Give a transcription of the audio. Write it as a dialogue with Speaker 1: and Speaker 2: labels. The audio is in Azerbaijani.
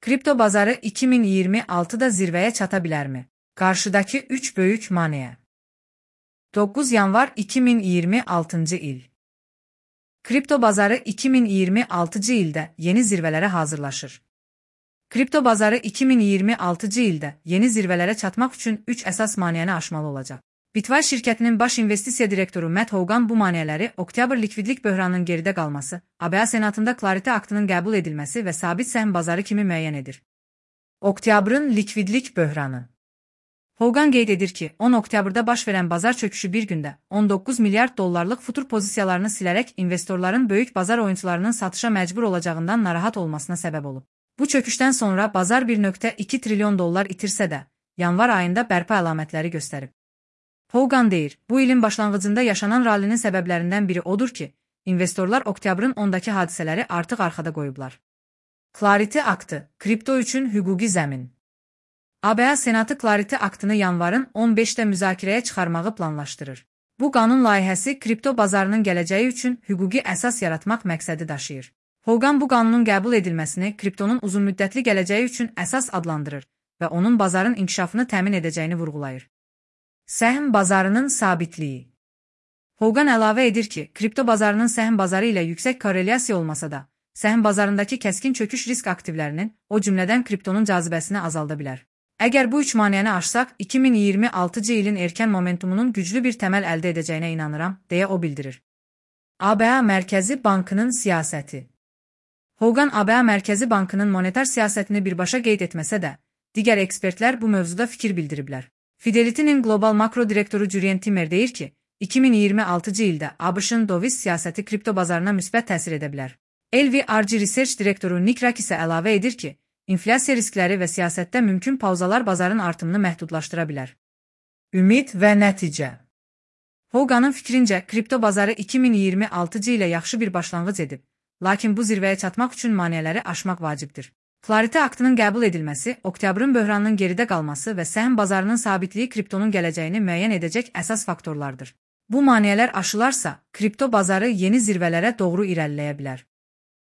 Speaker 1: Kripto bazarı 2026'da zirveye çatabilir mi? Karşıdaki 3 büyük maneə. 9 yanvar 2026 il. Kripto bazarı 2026 ildə yeni zirvələrə hazırlaşır. Kripto bazarı 2026 ildə yeni zirvələrə çatmaq üçün 3 əsas maneəni aşmalı olacaq. Bitwise şirkətinin baş investisiya direktoru Matt Hougan bu maneələri oktyabr likvidlik böhranının geridə qalması, ABA Senatında Clarity aktının qəbul edilməsi və sabit səhm bazarı kimi müəyyən edir. Oktyabrın likvidlik böhranı. Hougan qeyd edir ki, 10 oktyabrda baş verən bazar çöküşü bir gündə 19 milyard dollarlıq futur pozisiyalarını silərək investorların böyük bazar oyuncularının satışa məcbur olacağından narahat olmasına səbəb olub. Bu çöküşdən sonra bazar 1,2 trilyon dollar itirsə də, yanvar ayında bərpa əlamətləri göstərib. Hougan deyir, bu ilin başlanğıcında yaşanan rallinin səbəblərindən biri odur ki, investorlar oktyabrın 10-dakı hadisələri artıq arxada qoyublar. Clarity aktı, kripto üçün hüquqi zəmin. ABA Senatı Clarity aktını yanvarın 15-də müzakirəyə çıxarmağı planlaşdırır. Bu qanun layihəsi kripto bazarının gələcəyi üçün hüquqi əsas yaratmaq məqsədi daşıyır. Hougan bu qanunun qəbul edilməsini kriptonun uzunmüddətli gələcəyi üçün əsas adlandırır və onun bazarın inkişafını təmin edəcəyini vurğulayır. Səhm bazarının sabitliyi. Hougan əlavə edir ki, kripto bazarının səhm bazarı ilə yüksək korrelyasiya olmasa da, səhm bazarındakı kəskin çöküş risk aktivlərinin, o cümlədən kriptonun cazibəsini azalda bilər. Əgər bu üç maneəni aşsaq, 2026 ilin erkən momentumunun güclü bir təməl əldə edəcəyinə inanıram, deyə o bildirir. ABA Mərkəzi Bankının siyasəti. Hougan ABA Mərkəzi Bankının monetar siyasətini birbaşa qeyd etməsə də, digər ekspertlər bu mövzuda fikir bildiriblər. Fidelity'nin qlobal makro direktoru Jurrien Timmer deyir ki, 2026 ildə ABŞ-ın döviz siyasəti kripto bazarına müsbət təsir edə bilər. LVRG Research direktoru Nick Rak isə əlavə edir ki, inflyasiya riskləri və siyasətdə mümkün pauzalar bazarın artımını məhdudlaşdıra bilər. Ümid və nəticə. Houganın fikrincə, kripto bazarı 2026 ilə yaxşı bir başlanğıc edib, lakin bu zirvəyə çatmaq üçün maneələri aşmaq vacibdir. Clarity aktının qəbul edilməsi, oktyabrın böhranının geridə qalması və səhm bazarının sabitliyi kriptonun gələcəyini müəyyən edəcək əsas faktorlardır. Bu maneələr aşılarsa, kripto bazarı yeni zirvələrə doğru irəliləyə bilər.